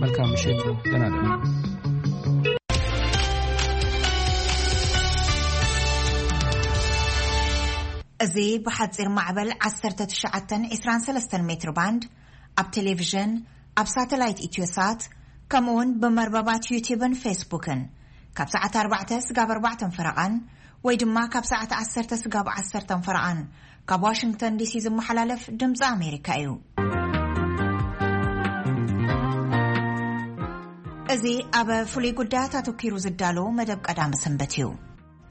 መልካም ምሽት፣ ደህና ደሩ። እዚ ብሓጺር ማዕበል ዓሰርተ ትሽዓተ ዒስራን ሰለስተን ሜትር ባንድ፣ ኣብ ቴሌቪዥን፣ ኣብ ሳተላይት ኢትዮሳት፣ ከምኡውን ብመርበባት ዩቲብን ፌስቡክን ካብ ሰዓት ኣርባዕተ ስጋብ ኣርባዕተ ፈረቓን ወይ ድማ ካብ ሰዓት ዓሰርተ ስጋብ ዓሰርተ ፈረቓን ካብ ዋሽንግተን ዲሲ ዝመሓላለፍ ድምፂ ኣሜሪካ እዩ። እዚ ኣብ ፍሉይ ጉዳያት ኣተኲሩ ዝዳሎ መደብ ቀዳመ ሰንበት እዩ።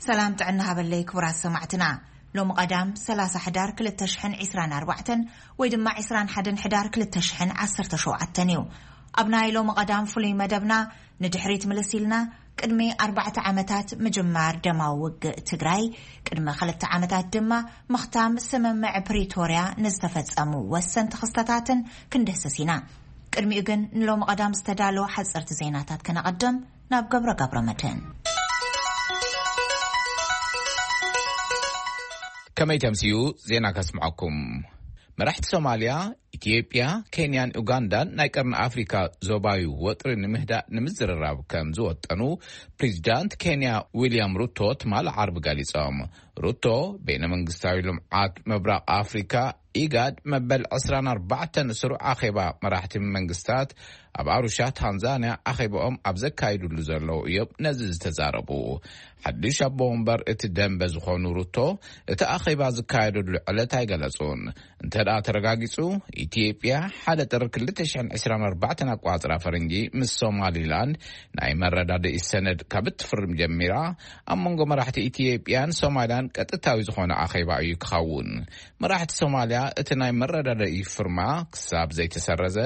ሰላም ጥዕና ሃበለይ ክቡራት ሰማዕትና። ሎሚ ቀዳም ሰላሳ ሕዳር ክልተ ሽሕን ዒስራን ኣርባዕተን ወይ ድማ ዒስራን ሓደን ሕዳር ክልተ ሽሕን ዓሰርተ ሸውዓተን እዩ። ኣብ ናይ ሎሚ ቀዳም ፍሉይ መደብና ንድሕሪት ምልስ ኢልና ቅድሚ ኣርባዕተ ዓመታት ምጅማር ደማዊ ውግእ ትግራይ፣ ቅድሚ ክልተ ዓመታት ድማ ምኽታም ስምምዕ ፕሪቶርያ ንዝተፈጸሙ ወሰንቲ ክስተታትን ክንድህስስ ኢና። ቅድሚኡ ግን ንሎሚ ቀዳም ዝተዳለወ ሓጸርቲ ዜናታት ከነቐድም ናብ ገብረ ገብረ መድህን። ከመይ ተምስዩ ዜና ከስምዐኩም። መራሕቲ ሶማልያ፣ ኢትዮጵያ፣ ኬንያን ኡጋንዳን ናይ ቀርኒ ኣፍሪካ ዞባዊ ወጥሪ ንምህዳእ ንምዝርራብ ከም ዝወጠኑ ፕሬዚዳንት ኬንያ ዊልያም ሩቶ ትማል ዓርቢ ገሊጾም። ሩቶ፣ ቤነ መንግስታዊ ልምዓት ምብራቕ ኣፍሪካ፣ ኢጋድ፣ መበል ዕስራን ኣርባዕተን ስሩዕ ኣኼባ መራሕቲ መንግስታት ኣብ ኣሩሻ ታንዛንያ ኣኼባኦም ኣብ ዘካይዱሉ ዘለዉ እዮም ነዚ ዝተዛረቡ። ሓድሽ ኣቦ ወንበር እቲ ደንበ ዝኾኑ ሩቶ፣ እቲ ኣኼባ ዝካየደሉ ዕለት ኣይገለጹን። እንተ ደኣ ተረጋጊጹ፣ ኢትዮጵያ ሓደ ጥሪ ክልተ ሽሕን ዕስራን ኣርባዕተን ኣቋጽራ ፈረንጂ ምስ ሶማሊላንድ ናይ መረዳድኢ ሰነድ ካብ እትፍርም ጀሚራ፣ ኣብ መንጎ መራሕቲ ኢትዮጵያን ሶማልያን ቀጥታዊ ዝኾነ ኣኼባ እዩ ክኸውን። መራሕቲ ሶማልያ እቲ ናይ መረዳድኢ ፍርማ ክሳብ ዘይተሰረዘ፣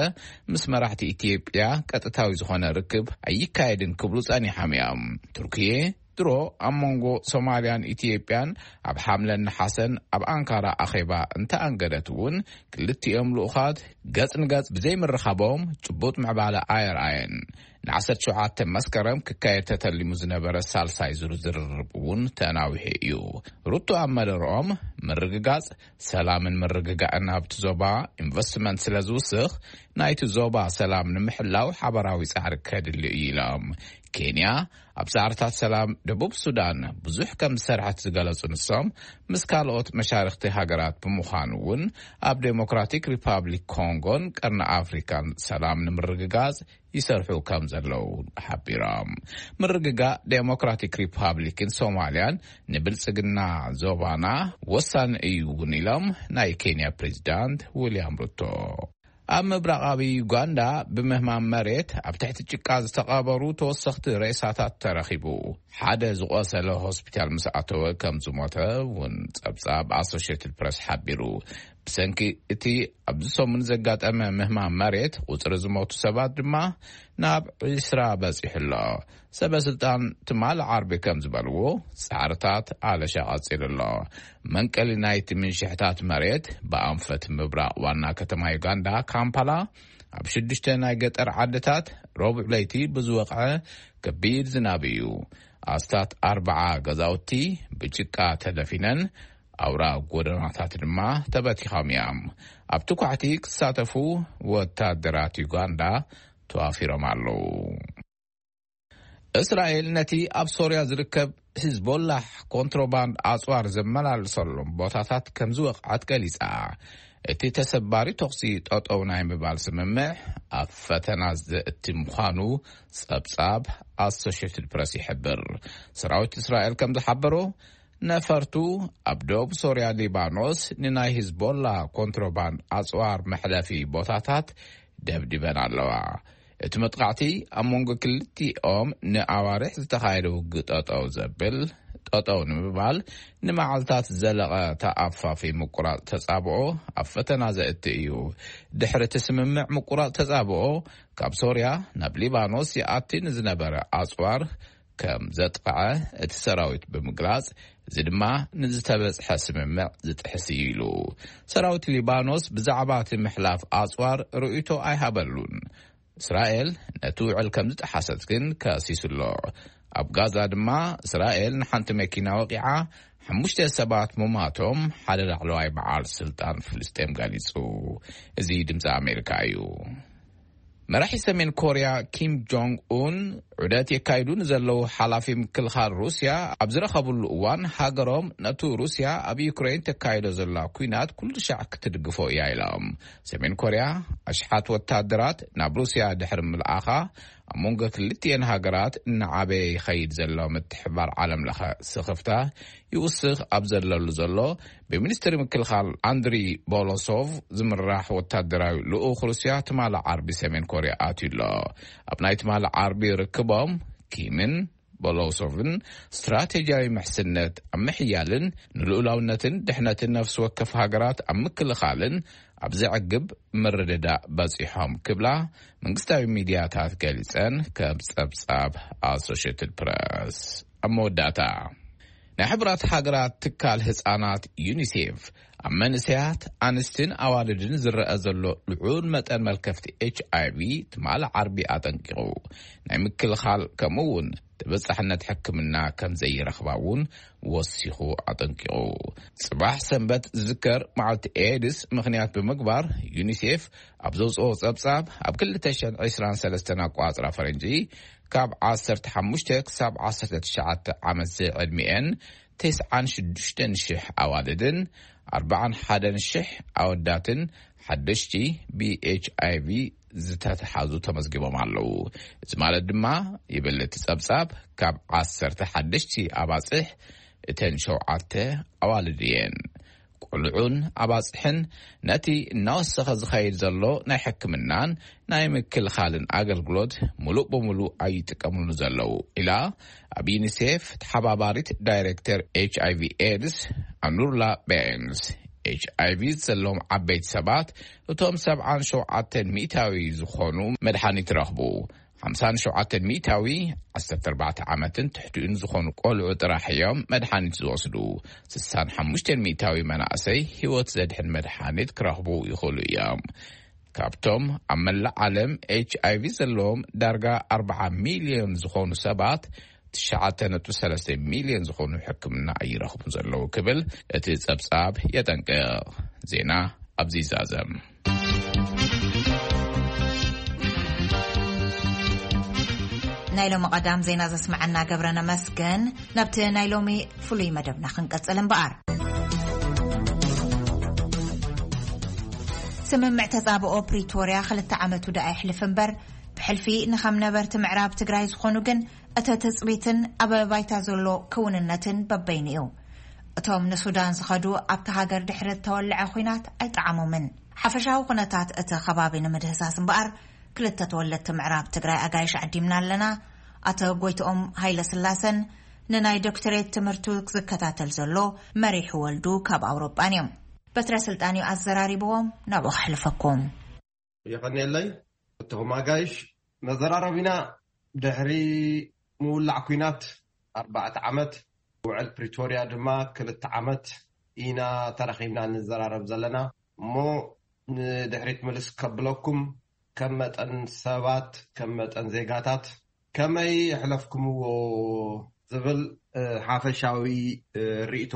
ምስ መራሕቲ ኢትዮጵያ ቀጥታዊ ዝኾነ ርክብ ኣይካየድን ክብሉ ጸኒሖም እዮም። ቱርክየ ድሮ ኣብ መንጎ ሶማልያን ኢትዮጵያን ኣብ ሓምለን ነሓሰን ኣብ ኣንካራ ኣኼባ እንተኣንገደት እውን፣ ክልቲኦም ልኡኻት ገጽ ንገጽ ብዘይምርኻቦም ጭቡጥ ምዕባለ ኣየርኣየን። ንዓሰርተ ሸውዓተ መስከረም ክካየድ ተተሊሙ ዝነበረ ሳልሳይ ዙር ዝርርብ እውን ተናዊሑ እዩ። ሩቶ ኣብ መደረኦም፣ ምርግጋጽ ሰላምን ምርግጋእን ኣብቲ ዞባ ኢንቨስትመንት ስለ ዝውስኽ፣ ናይቲ ዞባ ሰላም ንምሕላው ሓበራዊ ጻዕሪ ከድሊ እዩ ኢሎም። ኬንያ ኣብ ጻዕርታት ሰላም ደቡብ ሱዳን ብዙሕ ከም ዝሰርሐት ዝገለጹ ንሶም፣ ምስ ካልኦት መሻርኽቲ ሃገራት ብምዃኑ እውን ኣብ ዴሞክራቲክ ሪፓብሊክ ኮንጎን ቀርኒ ኣፍሪካን ሰላም ንምርግጋጽ ይሰርሑ ከም ዘለዉ ሓቢሮም። ምርግጋእ ዴሞክራቲክ ሪፓብሊክን ሶማልያን ንብልጽግና ዞባና ወሳኒ እዩ እውን ኢሎም ናይ ኬንያ ፕሬዚዳንት ዊልያም ሩቶ። ኣብ ምብራቓዊ ዩጋንዳ ብምህማም መሬት ኣብ ትሕቲ ጭቃ ዝተቐበሩ ተወሰኽቲ ሬሳታት ተረኺቡ። ሓደ ዝቖሰለ ሆስፒታል ምስ ኣተወ ከም ዝሞተ እውን ጸብጻብ ኣሶሽየትድ ፕረስ ሓቢሩ። ብሰንኪ እቲ ኣብዚ ሰሙን ዘጋጠመ ምህማም መሬት፣ ቁጽሪ ዝሞቱ ሰባት ድማ ናብ ዒስራ በጺሑ ኣሎ። ሰበ ስልጣን ትማሊ ዓርቢ ከም ዝበልዎ፣ ጻዕርታት ኣለሻ ቀጺሉ ኣሎ። መንቀሊ ናይቲ ምንሽሕታት መሬት ብኣንፈት ምብራቕ ዋና ከተማ ዩጋንዳ ካምፓላ፣ ኣብ ሽዱሽተ ናይ ገጠር ዓድታት ረቡዕ ለይቲ ብዝወቕዐ ከቢድ ዝናብ እዩ። ኣስታት ኣርብዓ ገዛውቲ ብጭቃ ተደፊነን፣ ኣውራ ጎደናታት ድማ ተበቲኾም እዮም። ኣብቲ ኳዕቲ ክሳተፉ ወታደራት ዩጋንዳ ተዋፊሮም ኣለዉ። እስራኤል ነቲ ኣብ ሶርያ ዝርከብ ሂዝቦላህ ኮንትሮባንድ ኣጽዋር ዘመላልሰሎም ቦታታት ከም ዝወቕዐት ገሊጻ። እቲ ተሰባሪ ተኹሲ ጠጠው ናይ ምባል ስምምዕ ኣብ ፈተና ዘእቲ ምዃኑ ጸብጻብ ኣሶሽየትድ ፕረስ ይሕብር። ሰራዊት እስራኤል ከም ዝሓበሮ፣ ነፈርቱ ኣብ ደቡብ ሶርያ ሊባኖስ ንናይ ሂዝቦላ ኮንትሮባንድ ኣጽዋር መሕለፊ ቦታታት ደብዲበን ኣለዋ። እቲ መጥቃዕቲ ኣብ መንጎ ክልቲኦም ንኣዋርሕ ዝተኻየደ ውግእ ጠጠው ዘብል፣ ጠጠው ንምባል ንመዓልታት ዝዘለቐ ተኣፋፊ ምቁራጽ ተጻብኦ ኣብ ፈተና ዘእቲ እዩ። ድሕሪ እቲ ስምምዕ ምቁራጽ ተጻብኦ፣ ካብ ሶርያ ናብ ሊባኖስ ይኣቲ ንዝነበረ ኣጽዋር ከም ዘጥቕዐ እቲ ሰራዊት ብምግላጽ፣ እዚ ድማ ንዝተበጽሐ ስምምዕ ዝጥሕስ እዩ ኢሉ። ሰራዊት ሊባኖስ ብዛዕባ እቲ ምሕላፍ ኣጽዋር ርእይቶ ኣይሃበሉን። እስራኤል ነቲ ውዕል ከም ዝጠሓሰት ግን ከሲሱ ኣሎ። ኣብ ጋዛ ድማ እስራኤል ንሓንቲ መኪና ወቒዓ፣ ሓሙሽተ ሰባት ምሟቶም ሓደ ላዕለዋይ በዓል ስልጣን ፍልስጤም ገሊጹ። እዚ ድምጺ ኣሜሪካ እዩ። መራሒ ሰሜን ኮርያ ኪም ጆንግ ኡን ዑደት የካይዱ ንዘለዉ ሓላፊ ምክልኻል ሩስያ ኣብ ዝረኸብሉ እዋን፣ ሃገሮም ነቱ ሩስያ ኣብ ዩክሬን ተካይዶ ዘላ ኲናት ኩሉ ሻዕ ክትድግፎ እያ ኢሎም። ሰሜን ኮርያ ኣሽሓት ወታደራት ናብ ሩስያ ድሕሪ ምልኣኻ፣ ኣብ መንጎ ክልቲኤን ሃገራት እናዓበየ ይኸይድ ዘሎ ምትሕባር ዓለም ለኸ ስኽፍታ ይውስኽ ኣብ ዘለሉ ዘሎ፣ ብሚኒስትሪ ምክልኻል ኣንድሪ ቦሎሶቭ ዝምራሕ ወታደራዊ ልኡኽ ሩስያ ትማሊ ዓርቢ ሰሜን ኮርያ ኣትዩ ኣሎ። ኣብ ናይ ትማሊ ዓርቢ ርክቦም፣ ኪምን ቦሎሶቭን ስትራቴጂያዊ ምሕስነት ኣብ ምሕያልን ንልኡላውነትን ድሕነትን ነፍሲ ወከፍ ሃገራት ኣብ ምክልኻልን ኣብ ዘዕግብ ምርድዳእ በጺሖም ክብላ መንግስታዊ ሚድያታት ገሊጸን፣ ከም ጸብጻብ ኣሶሽየትድ ፕረስ። ኣብ መወዳእታ፣ ናይ ሕቡራት ሃገራት ትካል ህጻናት ዩኒሴፍ ኣብ መንእሰያት ኣንስትን ኣዋልድን ዝረአ ዘሎ ልዑል መጠን መልከፍቲ ኤች ኣይ ቪ ትማሊ ዓርቢ ኣጠንቂቑ፣ ናይ ምክልኻል ከምኡ እውን ተበጻሕነት ሕክምና ከም ዘይረኽባ እውን ወሲኹ ኣጠንቂቑ። ጽባሕ ሰንበት ዝዝከር መዓልቲ ኤድስ ምኽንያት ብምግባር፣ ዩኒሴፍ ኣብ ዘውጽኦ ጸብጻብ፣ ኣብ ክልተ ሽሕን ዕስራን ሰለስተን ኣቋጽራ ፈረንጂ፣ ካብ ዓሰርተ ሓሙሽተ ክሳብ ዓሰርተ ትሽዓተ ዓመት ዝዕድሚኤን ተስዓን ሽዱሽተን ሽሕ ኣዋልድን ኣርባዓን ሓደን ሽሕ ኣወዳትን ሓደሽቲ ብኤች ኣይ ቪ ዝተተሓዙ ተመዝጊቦም ኣለዉ። እዚ ማለት ድማ፣ ይብል እቲ ጸብጻብ፣ ካብ ዓሰርተ ሓደሽቲ ኣባጽሕ እተን ሸውዓተ ኣዋልድ እየን። ቆልዑን ኣባጽሕን ነቲ እናወሰኸ ዝኸይድ ዘሎ ናይ ሕክምናን ናይ ምክልኻልን ኣገልግሎት ምሉእ ብምሉእ ኣይጥቀምሉ ዘለዉ፣ ኢላ ኣብ ዩኒሴፍ ተሓባባሪት ዳይሬክተር ኤች ኣይ ቪ ኤድስ ኣኑርላ ቤንስ። ኤች ኣይ ቪ ዘለዎም ዓበይቲ ሰባት፣ እቶም ሰብዓን ሸውዓተን ሚእታዊ ዝኾኑ መድሓኒት ረኽቡ። ሓምሳን ሸውዓተን ሚእታዊ ዓሰርተ ኣርባዕተ ዓመትን ትሕቲኡን ዝኾኑ ቆልዑ ጥራሕ እዮም መድሓኒት ዝወስዱ። ስሳን ሓሙሽተን ሚእታዊ መናእሰይ ህይወት ዘድሕን መድሓኒት ክረኽቡ ይኽእሉ እዮም። ካብቶም ኣብ መላእ ዓለም ኤች ኣይ ቪ ዘለዎም ዳርጋ ኣርባዓ ሚልዮን ዝኾኑ ሰባት፣ ትሽዓተ ነጥቢ ሰለስተ ሚልዮን ዝኾኑ ሕክምና ኣይረኽቡን ዘለዉ ክብል እቲ ጸብጻብ የጠንቅቕ። ዜና ኣብዚ ይዛዘም። ናይ ሎሚ ቀዳም ዜና ዘስመዐና ገብረ ነመስገን። ናብቲ ናይ ሎሚ ፍሉይ መደብና ክንቀጽል እምበኣር፣ ስምምዕ ተጻብኦ ፕሪቶርያ ክልተ ዓመቱ ደኣ ይሕልፍ እምበር፣ ብሕልፊ ንኸም ነበርቲ ምዕራብ ትግራይ ዝኾኑ ግን እቲ ትጽቢትን ኣብ ባይታ ዘሎ ክውንነትን በበይኑ እዩ። እቶም ንሱዳን ዝኸዱ ኣብቲ ሃገር ድሕሪ እተወልዐ ኲናት ኣይጠዓሞምን። ሓፈሻዊ ኩነታት እቲ ከባቢ ንምድህሳስ እምበኣር ክልተ ተወለድቲ ምዕራብ ትግራይ ኣጋይሽ ዓዲምና ኣለና። ኣቶ ጎይትኦም ሃይለ ስላሰን ንናይ ዶክተሬት ትምህርቱ ዝከታተል ዘሎ መሪሕ ወልዱ ካብ ኣውሮጳን እዮም። በትረ ስልጣን እዩ ኣዘራሪብዎም፣ ናብኡ ከሕልፈኩም። የቐንየለይ። እቶም ኣጋይሽ መዘራረቢና ድሕሪ ምውላዕ ኲናት ኣርባዕተ ዓመት፣ ውዕል ፕሪቶርያ ድማ ክልተ ዓመት ኢና ተራኺብና ንዘራረብ ዘለና። እሞ ንድሕሪት ምልስ ከብለኩም፣ ከም መጠን ሰባት፣ ከም መጠን ዜጋታት ከመይ የሕለፍኩምዎ ዝብል፣ እ፣ ሓፈሻዊ፣ እ፣ ርእይቶ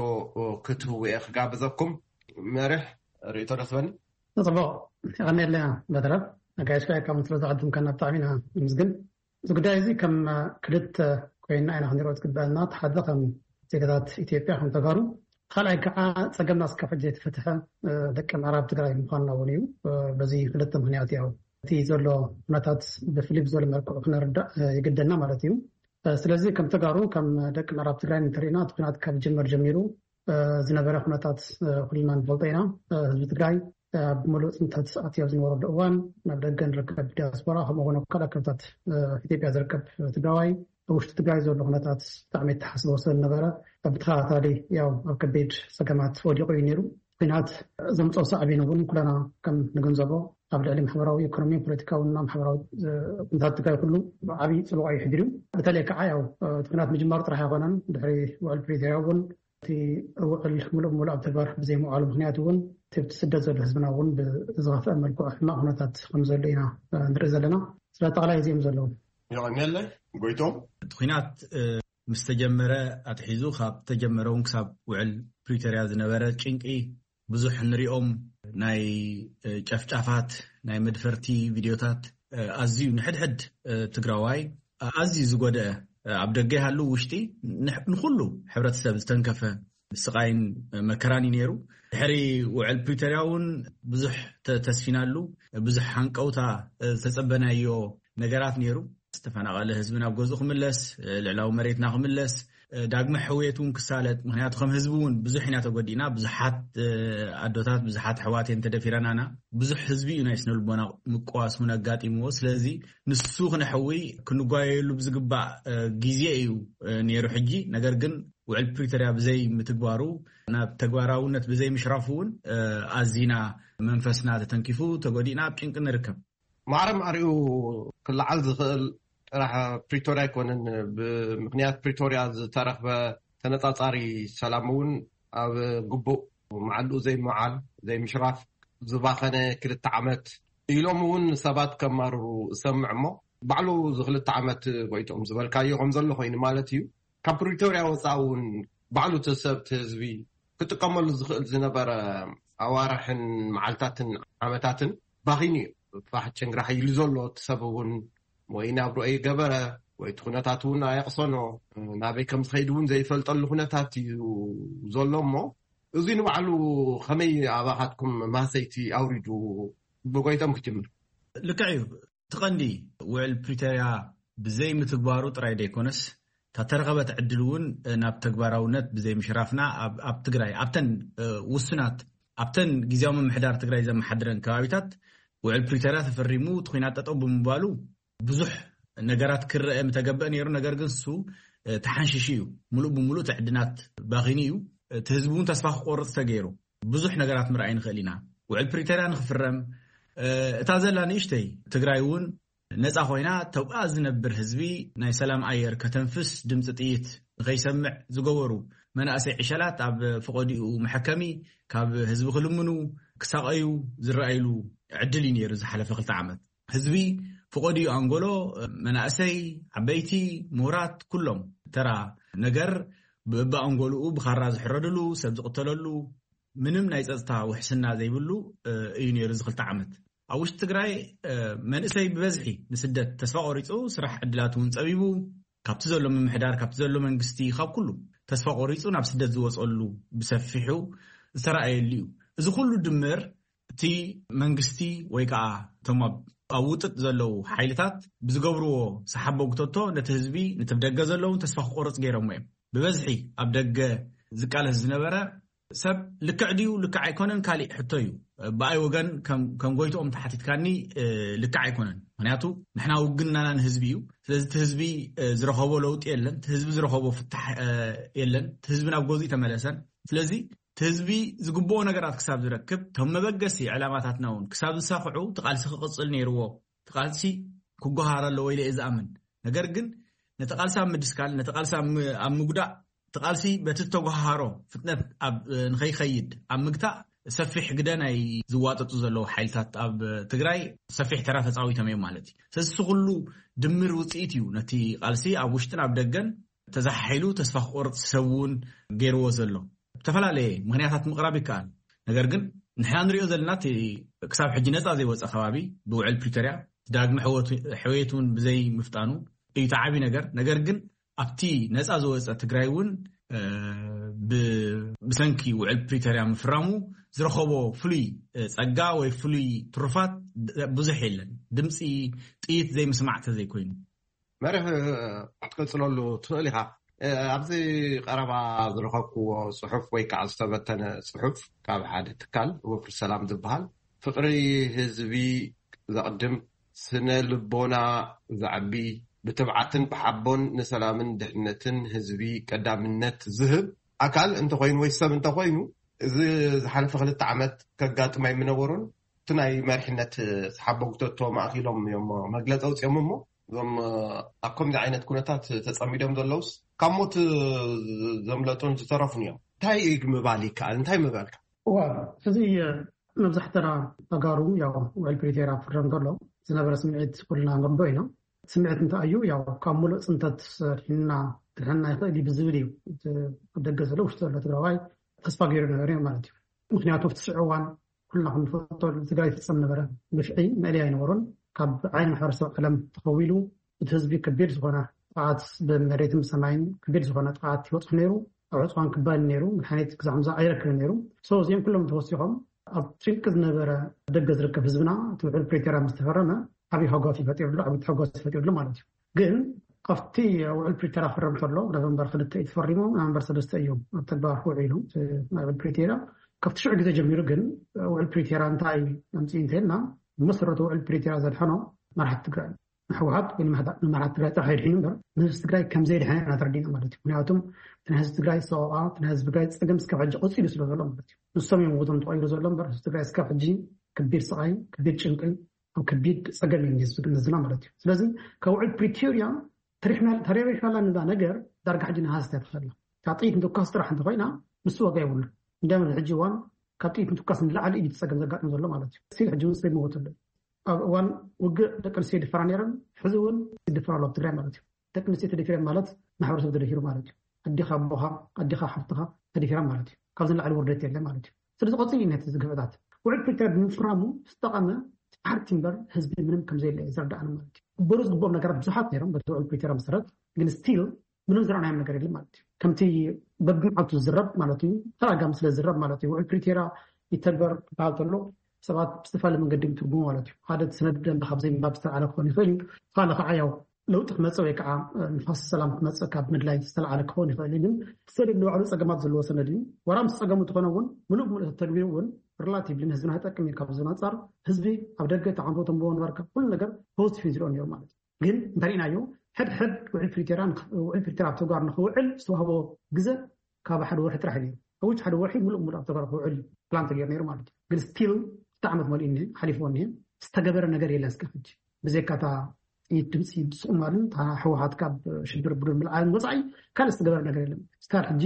ክትህቡ እየ ክጋብዘኩም። መሪሕ ርእይቶ ደስበኒ። ጽቡቕ፣ የቐንየልና በትረ። ኣጋይሽ ከኣ ካብ ስለ ዝዓደምካና ብጣዕሚ ኢና ነመስግን። እዚ ጉዳይ እዚ ከም ክልተ ኮይና ኢና ክንሪኦ ዝግበአና። እቲ ሓደ ከም ዜጋታት ኢትዮጵያ ከም ተጋሩ፣ ካልኣይ ከዓ ጸገምና እስካብ ሕጂ ዘይተፈትሐ፣ እ፣ ደቂ ምዕራብ ትግራይ ምዃንና እውን እዩ። እ፣ በዚ ክልተ ምኽንያት ያው እቲ ዘሎ ኩነታት ብፍልይ ብዝበለ መልክዑ ክነርዳእ፣ እ፣ ይግደና ማለት እዩ። እ፣ ስለዚ ከም ተጋሩ፣ ከም ደቂ ምዕራብ ትግራይ እንተሪእና፣ እቲ ኩናት ካብ ዝጅመር ጀሚሩ እ፣ ዝነበረ ኩነታት፣ እ፣ ኩልና ንፈልጦ ኢና። እ፣ ህዝቢ ትግራይ፣ እ፣ ኣብ ምሉእ ጽንተት ኣትዩ ኣብ ዝነበረሉ እዋን፣ ናብ ደገ ንርከብ ዲያስፖራ፣ ከምኡ እውን ኣብ ካልእ ከባብታት፣ እ፣ ኢትዮጵያ ዝርከብ ትግራዋይ፣ ኣብ ውሽጢ ትግራይ ዘሎ ኩነታት ብጣዕሚ የተሓሳስቦ ስለ ዝነበረ፣ ብተኸታታሊ ያው ኣብ ከቢድ ጸገማት ወዲቑ እዩ ነይሩ። ኲናት ዘምጽኦ ሳዕቤን እውን ኩለና ከም ንግንዘቦ፣ ኣብ ልዕሊ ማሕበራዊ፣ ኢኮኖሚ፣ ፖለቲካዊ እና ማሕበራዊ፣ እ፣ ኩነታት ትግራይ ኩሉ ዓብዪ ጽልዋ እዩ ሕዲሩ። በተለይ ከዓ ያው፣ እ፣ እቲ ኲናት ምጅማሩ ጥራሕ ኣይኮነን፣ ድሕሪ ውዕል ፕሪቶርያ እውን እቲ ውዕል ምሉእ ብምሉእ ኣብ ተግባር ብዘይምውዓሉ ምኽንያት እውን፣ እቲ ኣብቲ ስደት ዘሎ ህዝብና እውን ብዝኸፍአ መልክዑ ሕማቕ ኩነታት ከም ዘሎ ኢና፣ እ፣ ንርኢ ዘለና። ስለ ኣጠቓላይ እዚኦም ዘለዉ። የቐንየለይ ጎይቶም። እቲ ኲናት፣ እ፣ ምስ ተጀመረ ኣትሒዙ፣ ካብ ተጀመረ እውን ክሳብ ውዕል ፕሪቶርያ ዝነበረ ጭንቂ፣ ብዙሕ ንሪኦም ናይ፣ እ፣ ጨፍጫፋት፣ ናይ መድፈርቲ ቪድዮታት፣ ኣዝዩ ንሕድሕድ ትግራዋይ ኣዝዩ ዝጎደአ፣ ኣብ ደገ ይሃሉ ውሽጢ ንሕ- ንኹሉ ሕብረተሰብ ዝተንከፈ ስቃይን መከራን እዩ ነይሩ። ድሕሪ ውዕል ፕሪቶርያ እውን ብዙሕ ተ- ተስፊናሉ፣ ብዙሕ ሃንቀውታ ዝተጸበናዮ ነገራት ነይሩ። ዝተፈናቐለ ህዝቢ ናብ ገዝኡ ክምለስ፣ ልዕላዊ መሬትና ክምለስ፣ ዳግመ ሕውየት እውን ክሳለጥ። ምክንያቱ ከም ህዝቢ እውን ብዙሕ ኢና ተጎዲእና። ብዙሓት ኣዶታት፣ ብዙሓት ኣሕዋት እየን ተደፊረናና። ብዙሕ ህዝቢ እዩ ናይ ስነ ልቦና ምቅዋስ እውን ኣጋጢምዎ። ስለዚ ንሱ ክነሕዊ ክንጓየሉ ብዝግባእ ግዜ እዩ ነይሩ። ሕጂ ነገር ግን ውዕል ፕሪቶርያ ብዘይ ምትግባሩ፣ ናብ ተግባራውነት ብዘይ ምሽራፉ እውን ኣዚና መንፈስና ተተንኪፉ ተጎዲእና ኣብ ጭንቂ ንርከብ። ማዕረ ማዕሪኡ ክለዓል ዝኽእል ጥራሕ ፕሪቶርያ ኣይኮነን። ብምክንያት ፕሪቶርያ ዝተረኽበ ተነጻጻሪ ሰላም እውን ኣብ ግቡእ መዓልኡ ዘይምውዓል፣ ዘይምሽራፍ፣ ዝባኸነ ክልተ ዓመት ኢሎም እውን ሰባት ከማርሩ እሰምዕ እሞ፣ ባዕሉ እዚ ክልተ ዓመት ጎይቶም ዝበልካዮ ከም ዘሎ ኮይኑ ማለት እዩ። ካብ ፕሪቶርያ ወፃኢ እውን ባዕሉ እቲ ሰብ፣ እቲ ህዝቢ ክጥቀመሉ ዝኽእል ዝነበረ ኣዋርሕን መዓልታትን ዓመታትን ባኺኑ እዩ። ፋሕ ጭንግራሕ ኢሉ ዘሎ እቲ ሰብ እውን ወይ ናብርኦ ይገበረ ወይ እቲ ኩነታት እውን ኣየቕሰኖ፣ ናበይ ከም ዝኸይድ እውን ዘይፈልጠሉ ኩነታት እዩ ዘሎ እሞ፣ እዚ ንባዕሉ ከመይ ኣባኻትኩም ማሰይቲ ኣውሪዱ? ብጎይቶም ክጅምር። ልክዕ እዩ። እቲ ቀንዲ ውዕል ፕሪቶርያ ብዘይ ምትግባሩ ጥራይ ዘይኮነስ፣ እታ ተረኸበት ዕድል እውን ናብ ተግባራውነት ብዘይ ምሽራፍና ኣብ ኣብ ትግራይ ኣብተን ውሱናት ኣብተን ግዜያዊ ምምሕዳር ትግራይ ዘመሓድረን ከባቢታት ውዕል ፕሪቶርያ ተፈሪሙ እቲ ኲናት ጠጠው ብምባሉ ብዙሕ ነገራት ክረአ ምተገበአ ነይሩ። ነገር ግን እሱ ተሓንሽሹ እዩ። ሙሉእ ብሙሉእ እቲ ዕድላት ባኺኑ እዩ። እቲ ህዝቢ እውን ተስፋ ክቆርፅ ተገይሩ። ብዙሕ ነገራት ምርኣይ ንኽእል ኢና። ውዕል ፕሪቶርያ ንክፍረም፣ እታ ዘላ ንእሽተይ ትግራይ እውን ነፃ ኮይና፣ ተብኣ ዝነብር ህዝቢ ናይ ሰላም ኣየር ከተንፍስ፣ ድምፂ ጥይት ንኸይሰምዕ ዝገበሩ መናእሰይ ዕሸላት ኣብ ፈቐዲኡ መሐከሚ፣ ካብ ህዝቢ ክልምኑ፣ ክሳቐዩ ዝረኣይሉ ዕድል እዩ ነይሩ ዝሓለፈ ክልተ ዓመት። ህዝቢ ፈቐዲኡ ኣንጎሎ፣ መናእሰይ፣ ዓበይቲ፣ ምሁራት፣ ኩሎም ተራ ነገር ብእባ ኣንጎልኡ ብኻራ ዝሕረድሉ፣ ሰብ ዝቕተለሉ፣ ምንም ናይ ጸጥታ ውሕስና ዘይብሉ እዩ ነይሩ እዚ ክልተ ዓመት። ኣብ ውሽጢ ትግራይ መንእሰይ ብበዝሒ ንስደት ተስፋ ቆሪፁ፣ ስራሕ ዕድላት እውን ፀቢቡ፣ ካብቲ ዘሎ ምምሕዳር፣ ካብቲ ዘሎ መንግስቲ፣ ካብ ኩሉ ተስፋ ቆሪፁ ናብ ስደት ዝወፀሉ ብሰፊሑ ዝተረኣየሉ እዩ። እዚ ኩሉ ድምር እቲ መንግስቲ ወይ ከዓ እቶም ኣብ ውጥጥ ዘለዉ ሓይልታት ብዝገብርዎ ሰሓቦ ጉተቶ ነቲ ህዝቢ፣ ነቲ ብደገ ዘለውን ተስፋ ክቆርፅ ገይሮሞ እዮም። ብበዝሒ ኣብ ደገ ዝቃለስ ዝነበረ ሰብ ልክዕ ድዩ ልክዕ ኣይኮነን ካሊእ ሕቶ እዩ። ብኣይ ወገን ከም ጎይትኦም ተሓቲትካኒ፣ ልክዕ ኣይኮነን። ምክንያቱ ንሕና ውግንናና ንህዝቢ እዩ። ስለዚ እቲ ህዝቢ ዝረኸቦ ለውጢ የለን፣ እቲ ህዝቢ ዝረኸቦ ፍታሕ የለን፣ እቲ ህዝቢ ናብ ገዝኡ ተመለሰን። ስለዚ እቲ ህዝቢ ዝግብኦ ነገራት ክሳብ ዝረክብ፣ እቶም መበገሲ ዕላማታትና እውን ክሳብ ዝሳኽዑ እቲ ቃልሲ ክቕፅል ነይርዎ። እቲ ቃልሲ ክጓሃር ኣለዎ ኢለ እየ ዝኣምን። ነገር ግን ነቲ ቃልሲ ኣብ ምድስካል፣ ነቲ ቃልሲ ኣብ ምጉዳእ፣ እቲ ቃልሲ በቲ ዝተጓሃሮ ፍጥነት ኣብ ንኸይኸይድ ኣብ ምግታእ ሰፊሕ ግደ ናይ ዝዋጠጡ ዘለዉ ሓይልታት ኣብ ትግራይ ሰፊሕ ተራ ተፃዊቶም እዮም ማለት እዩ። ስለዚ እዚ ኩሉ ድምር ውፅኢት እዩ ነቲ ቃልሲ ኣብ ውሽጥን ኣብ ደገን ተዛሓሒሉ ተስፋ ክቆርፅ ሰብ እውን ገይርዎ ዘሎ። ዝተፈላለየ ምክንያታት ምቕራብ ይከኣል። ነገር ግን ንሕና ንሪኦ ዘለና እቲ ክሳብ ሕጂ ነፃ ዘይወፀ ከባቢ ብውዕል ፕሪቶርያ ዳግመ ሕወቱ- ሕውየት እውን ብዘይ ምፍጣኑ እዩ እቲ ዓብዪ ነገር። ነገር ግን ኣብቲ ነፃ ዝወፀ ትግራይ እውን ብ- ብሰንኪ ውዕል ፕሪቶርያ ምፍራሙ ዝረኸቦ ፍሉይ ፀጋ ወይ ፍሉይ ትሩፋት ብዙሕ የለን። ድምፂ ጥይት ዘይምስማዕ ተዘይኮይኑ። መሪሕ ክትቅፅለሉ ትኽእል ኢኻ። ኣብዚ ቀረባ ዝረኸብክዎ ፅሑፍ ወይ ከዓ ዝተበተነ ፅሑፍ ካብ ሓደ ትካል ወፍሪ ሰላም ዝበሃል፣ ፍቕሪ ህዝቢ ዘቕድም፣ ስነ ልቦና ዘዕቢ፣ ብትብዓትን ብሓቦን ንሰላምን ድሕነትን ህዝቢ ቀዳምነት ዝህብ ኣካል እንተኾይኑ ወይ ሰብ እንተኾይኑ፣ እዚ ዝሓለፈ ክልተ ዓመት ከጋጥም ኣይምነበሮን። እቲ ናይ መሪሕነት ሰሓቦ ጉተቶ ማእኪሎም እዮም መግለፂ ኣውፅኦም እሞ፣ እዞም ኣብ ከምዚ ዓይነት ኩነታት ተፀሚዶም ዘለውስ ካብ ሞት ዘምለጡን ዝተረፉን እዮም። እንታይ ምባል ይከኣል? እንታይ ምባልካ? እዋ፣ እዚ መብዛሕተና ተጋሩ ያው ውዕል ፕሪቶርያ ክፍረም ከሎ ዝነበረ ስምዒት ኩልና ንርዶ ኢና። ስምዒት እንታይ እዩ? ያው ካብ ሙሉእ ፅንተት ድሒንና ክድሕነና ይኽእል እዩ ብዝብል እዩ እቲ ኣብ ደገ ዘሎ ውሽጢ ዘሎ ትግራዋይ ተስፋ ገይሩ ነበረ ማለት እዩ። ምክንያቱ ኣብቲ ሽዑ እዋን ኩልና ክንፈልጦ ትግራይ ይፍፀም ነበረ ግፍዒ መእለያ ኣይነበሮን። ካብ ዓይኒ ማሕበረሰብ ዓለም ተኸዊሉ እቲ ህዝቢ ከቢድ ዝኾነ ጥቕዓት ብመሬትን ብሰማይን ከቢድ ዝኾነ ጥቕዓት ይበፅሑ ነይሩ። ኣብ ዕፅዋን ክባን ነይሩ። መድሓኒት ክሳዕ ምዛ ኣይረክብን ነይሩ። So እዚኦም ኩሎም ተወሲኾም ኣብ ጭንቂ ዝነበረ ደገ ዝርከብ ህዝብና እቲ ውዕል ፕሪቶርያ ምስ ተፈረመ ዓብዪ ሓጓስ ይፈጢርሉ፣ ዓብዪ ሓጓስ ይፈጢርሉ ማለት እዩ። ግን ኣብቲ ውዕል ፕሪቶርያ ክፈረም ከሎ ኖቨምበር ክልተ እዩ ተፈሪሙ፣ ኖቨምበር ሰለስተ እዮም ኣብ ተግባር ክውዕሉ እቲ ናይ ውዕል ፕሪቶርያ። ካብቲ ሽዑ ግዜ ጀሚሩ ግን ውዕል ፕሪቶርያ እንታይ ኣምፅኡ እንተልና መሰረቱ ውዕል ፕሪቶርያ ዘድሐኖ መራሕቲ ትግራይ ንህወሓት ወይ ንመራሕቲ ትግራይ ጥራሕ የድሒኑ እምበር ንህዝቢ ትግራይ ከም ዘየድሐነ ኢና ተረዲና ማለት እዩ። ምክንያቱም እቲ ናይ ህዝቢ ትግራይ ሰቆቃ እቲ ናይ ህዝቢ ትግራይ ፀገም እስካብ ሕጂ ቀፂሉ ስለ ዘሎ ማለት እዩ። ንሶም እዮም ውቶም ተቐይሩ ዘሎ እምበር ህዝቢ ትግራይ እስካብ ሕጂ ከቢድ ስቓይ ከቢድ ጭንቂ ኣብ ከቢድ ፀገም እዩ ህዝቢ ህዝብና ማለት እዩ። ስለዚ ካብ ውዕል ፕሪቶርያ ተሪፍና ተረቢሕናላ ንዛ ነገር ዳርጋ ሕጂ ንሃስተ ትኽእላ ካብ ጥይት ምትኳስ ጥራሕ እንተኮይና ምስ ዋጋ የብሉ። እንደም ሕጂ እዋን ካብ ጥይት ምትኳስ ንላዕሊ እዩ ፀገም ዘጋጥም ዘሎ ማለት እዩ። ሲል ሕጂ እውን ሰብ ይመወት ኣሎ። ኣብ እዋን ውግእ ደቂ ኣንስትዮ ይድፈራ ነይረን፣ ሕዚ እውን ይድፈራ ኣሎ ኣብ ትግራይ ማለት እዩ። ደቂ ኣንስትዮ ተደፊረን ማለት ማሕበረሰብ ተደፊሩ ማለት እዩ። ኣዴኻ ኣቦኻ ኣዴኻ ሓፍትኻ ተደፊራ ማለት እዩ። ካብዚ ንላዕሊ ውርደት የለ ማለት እዩ። ስለዚ ቀፂሉ እዩ ነቲ ዝግፍዕታት ውዕል ፕሪቶርያ ብምፍራሙ ዝተቐመ ሓርቲ እምበር ህዝቢ ምንም ከም ዘየለ እዩ ዘረዳእና ማለት እዩ። ክበሩ ዝግብኦም ነገራት ብዙሓት ነይሮም በቲ ውዕል ፕሪቶርያ መሰረት ግን ስቲል ምንም ዝረኣናዮም ነገር የለን ማለት እዩ። ከምቲ በብመዓልቱ ዝዝረብ ማለት እዩ ተራጋሚ ስለ ዝዝረብ ማለት እዩ። ውዕል ፕሪቶርያ ይተግበር ክበሃል ከሎ ሰባት ብዝተፈላለየ መንገዲ ትርጉሙ ማለት እዩ። ሓደ እቲ ሰነድ ደንበ ካብ ዘይምንባብ ዝተለዓለ ክኸውን ይኽእል እዩ። ካልእ ከዓ ያው ለውጢ ክመፅእ ወይ ከዓ ንፋስ ሰላም ክመፅእ ካብ ምድላይ ዝተለዓለ ክኸውን ይኽእል እዩ። ግን ሰነድ ንባዕሉ ፀገማት ዘለዎ ሰነድ እዩ። ዋላ ምስ ፀገሙ እንተኾነ እውን ምሉእ ብምሉእ ተተግቢሩ እውን ሪላቲቭሊ ንህዝብና ይጠቅም እዩ። ካብዚ ኣንፃር ህዝቢ ኣብ ደገ ተዓንቶ ተንብቦ ነበርካ ኩሉ ነገር ፖዚቲቭ ዝሪኦ ነይሩ ማለት እዩ። ግን እንተሪእናዮ ሕድሕድ ውዕል ፕሪቶርያ ውዕል ፕሪቶርያ ኣብ ተግባር ንክውዕል ዝተዋህቦ ግዘ ካብ ሓደ ወርሒ ጥራሕ እዩ ነይሩ። ሕውጅ ሓደ ወርሒ ሙሉእ ሙሉእ ኣብ ተግባር ክውዕል ፕላን ተገይሩ ነይሩ ማለት እዩ። ግን ስቲል ክልተ ዓመት መሊኡ እኒሀ ሓሊፍዎ እኒሀ ዝተገበረ ነገር የለን እስካብ ሕጂ ብዘይካ እታ ጥይት ድምፂ ስቁማልን እታ ህወሓት ካብ ሽብር ቡድን ምልዓልን ወፃኢ ካልእ ዝተገበረ ነገር የለን። እስካብ ሕጂ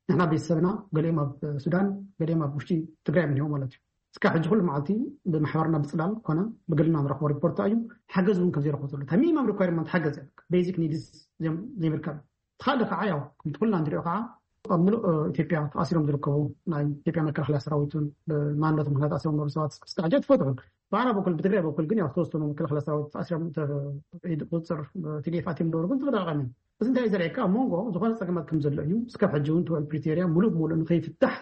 ንሕና ቤተሰብና ገሊኦም ኣብ ሱዳን ገሊኦም ኣብ ውሽጢ ትግራይ እዮም እኒሆ ማለት እዩ። እስካብ ሕጂ ኩሉ መዓልቲ ብማሕበርና ብፅላል ኮነ ብግልና ንረኽቦ ሪፖርት እዩ። ሓገዝ እውን ከም ዘይረኽቦ ዘሎ እታ ሚኒማም ሪኳርመንት ሓገዝ እያ ቤዚክ ኒድስ ዘይምርካብ ተኻለ ከዓ ያው ከምቲ ኩልና ንሪኦ ከዓ ኣብ ምሉእ ኢትዮጵያ ተኣሲሮም ዝርከቡ ናይ ኢትዮጵያ መከላኸያ ሰራዊትን ብማንነት ምክንያት ተኣሲሮም ነበሩ ሰባት እስካዕ ሕጂ ትፈትሑ ብኣና በኩል ብትግራይ በኩል ግን ያው ዝተወሰኑ መከላኸያ ሰራዊት ተኣሲሮም ቁፅር ቲዲኤፍ ኣትዮም ነበሩ ግን ተፈጣቃሚ እዚ እንታይ ዘርእካ ኣብ መንጎ ዝኾነ ፀገማት ከም ዘሎ እዩ። እስካብ ሕጂ እውን ትውዕል ፕሪቶርያ ሙሉእ ብሙሉእ ንከይፍታሕ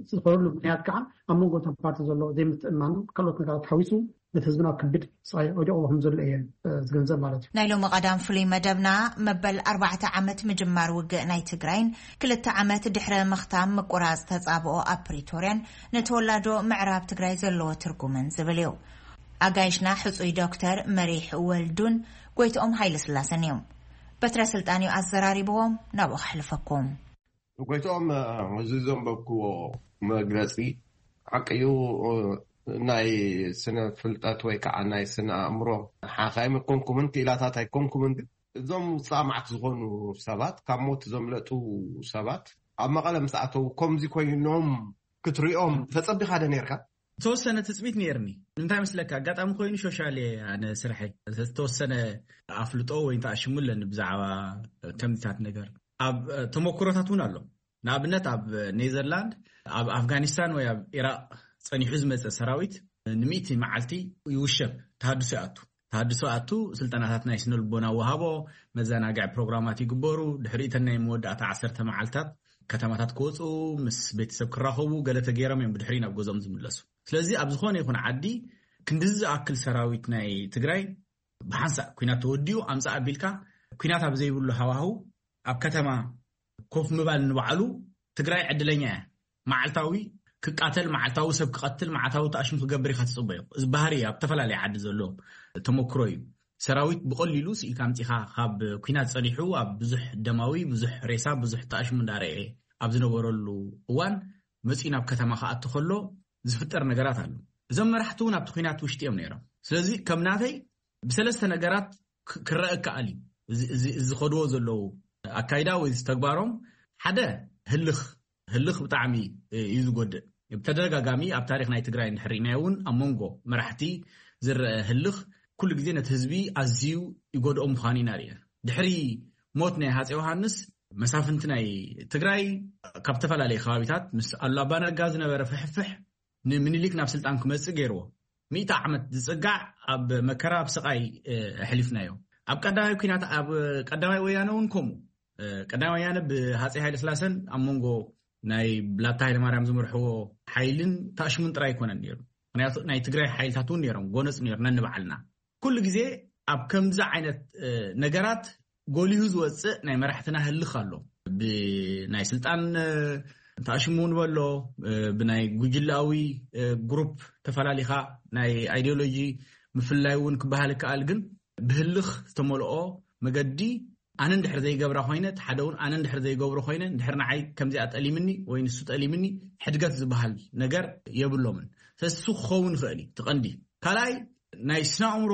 ዝኸደሉ ምክንያት ከዓ ኣብ መንጎ እቶም ፓርቲ ዘሎ ዘይምትእማን ካልኦት ነገራት ሓዊሱ ነቲ ህዝብና ክብድ ስቓይ ወዲቕዎ ከም ዘሎ እየ ዝግንዘብ ማለት እዩ። ናይ ሎሚ ቀዳም ፍሉይ መደብና መበል ኣርባዕተ ዓመት ምጅማር ውግእ ናይ ትግራይን ክልተ ዓመት ድሕረ ምኽታም ምቁራፅ ተፃብኦ ኣብ ፕሪቶርያን ንተወላዶ ምዕራብ ትግራይ ዘለዎ ትርጉምን ዝብል እዩ። ኣጋይሽና ሕፁይ ዶክተር መሪሕ ወልዱን ጎይትኦም ሃይለስላሰን እዮም። በትረ ስልጣን እዩ ኣዘራሪብዎም ናብኡ ከሕልፈኩም። ጎይትኦም፣ እዚ ዘንበብክዎ መግለፂ ሓቂ እዩ። ናይ ስነ ፍልጠት ወይ ከዓ ናይ ስነ ኣእምሮ ሓኻይም ኣይኮንኩምን፣ ክኢላታት ኣይኮንኩምን፣ ግን እዞም ውፃእ መዓት ዝኾኑ ሰባት ካብ ሞት ዘምለጡ ሰባት ኣብ መቐለ ምስ ኣተዉ ከምዚ ኮይኖም ክትሪኦም ተፀቢኻ ዶ ነርካ? ተወሰነ ትፅቢት ነይርኒ። እንታይ መስለካ ኣጋጣሚ ኮይኑ ሾሻል እየ ኣነ ስርሐይ ዝተወሰነ ኣፍልጦ ወይ ተኣሽሙ ኣለኒ ብዛዕባ ከምዚታት ነገር ኣብ ተመክሮታት እውን ኣሎ። ንኣብነት ኣብ ኔዘርላንድ ኣብ ኣፍጋኒስታን ወይ ኣብ ኢራቅ ፀኒሑ ዝመፀ ሰራዊት ንሚእቲ መዓልቲ ይውሸብ ተሃድሶ ይኣቱ ተሃድሶ ኣቱ ስልጠናታት ናይ ስነልቦና ወሃቦ መዘናግዒ ፕሮግራማት ይግበሩ ድሕሪእተን ናይ መወዳእታ ዓሰርተ መዓልታት ከተማታት ክወፁ ምስ ቤተሰብ ክራኸቡ ገለ ተገይሮም እዮም ብድሕሪ ናብ ገዝኦም ዝምለሱ ስለዚ ኣብ ዝኾነ ይኹን ዓዲ ክንድዚ ዝኣክል ሰራዊት ናይ ትግራይ ብሓንሳእ ኩናት ተወዲኡ ኣምፃእ ኣቢልካ ኩናት ኣብ ዘይብሉ ሃዋህው ኣብ ከተማ ኮፍ ምባል ንባዕሉ ትግራይ ዕድለኛ እያ መዓልታዊ ክቃተል መዓልታዊ ሰብ ክቀትል መዓልታዊ ተኣሽሙ ክገብር ኢካ ትፅበዮ እዚ ባህሪ ኣብ ዝተፈላለየ ዓዲ ዘሎ ተመክሮ እዩ ሰራዊት ብቀሊሉ ስኢልካ ኣምፂካ ካብ ኩናት ፀኒሑ ኣብ ብዙሕ ደማዊ ብዙሕ ሬሳ ብዙሕ ተኣሽሙ እንዳረኤ ኣብ ዝነበረሉ እዋን መፂኡ ናብ ከተማ ክኣቱ ከሎ ዝፍጠር ነገራት ኣሎ እዞም መራሕቲ እውን ኣብቲ ኩናት ውሽጢ እዮም ነይሮም ስለዚ ከም ናተይ ብሰለስተ ነገራት ክረአ ይከኣል እዩ ዝኸድዎ ዘለዉ ኣካይዳ ወይ ዝተግባሮም ሓደ ህልኽ ህልኽ ብጣዕሚ እዩ ዝጎድእ ብተደጋጋሚ ኣብ ታሪክ ናይ ትግራይ እንድሕር ርኢናዮ እውን ኣብ መንጎ መራሕቲ ዝረአ ህልኽ ኩሉ ግዜ ነቲ ህዝቢ ኣዝዩ ይጎድኦ ምዃኑ ኢና ርኢና ድሕሪ ሞት ናይ ሃፀ ዮሃንስ መሳፍንቲ ናይ ትግራይ ካብ ዝተፈላለዩ ከባቢታት ምስ ኣሉላ ኣባነጋ ዝነበረ ፍሕፍሕ ንምኒሊክ ናብ ስልጣን ክመፅእ ገይርዎ ሚእቲ ዓመት ዝጽጋዕ ኣብ መከራ፣ ኣብ ስቓይ ኣሕሊፍናዮ። ኣብ ቀዳማይ ኩናት፣ ኣብ ቀዳማይ ወያነ እውን ከምኡ። ቀዳማይ ወያነ ብሃፀይ ሃይለ ስላሰን ኣብ መንጎ ናይ ብላታ ሃይለ ማርያም ዝመርሕዎ ሓይልን ታሽሙን ጥራይ ኣይኮነን ነይሩ። ምክንያቱ ናይ ትግራይ ሓይልታት እውን ነይሮም፣ ጎነፅ ነይሩ ነንባዕልና። ኩሉ ግዜ ኣብ ከምዚ ዓይነት ነገራት ጎሊሁ ዝወፅእ ናይ መራሕትና ህልኽ ኣሎ። ብናይ ስልጣን ታሽሙ ንበሎ፣ ብናይ ጉጅላዊ ግሩፕ ተፈላሊኻ ናይ ኣይዲዮሎጂ ምፍላይ እውን ክበሃል ይከኣል። ግን ብህልኽ ዝተመልኦ መገዲ፣ ኣነ እንድሕር ዘይገብራ ኮይነ፣ እቲ ሓደ እውን ኣነ እንድሕር ዘይገብሮ ኮይነ፣ እንድሕር ንዓይ ከምዚኣ ጠሊምኒ ወይ ንሱ ጠሊምኒ፣ ሕድገት ዝበሃል ነገር የብሎምን። ስለዚ እሱ ክኸውን ይኽእል እዩ እቲ ቀንዲ። ካልኣይ፣ ናይ ስነ ኣእምሮ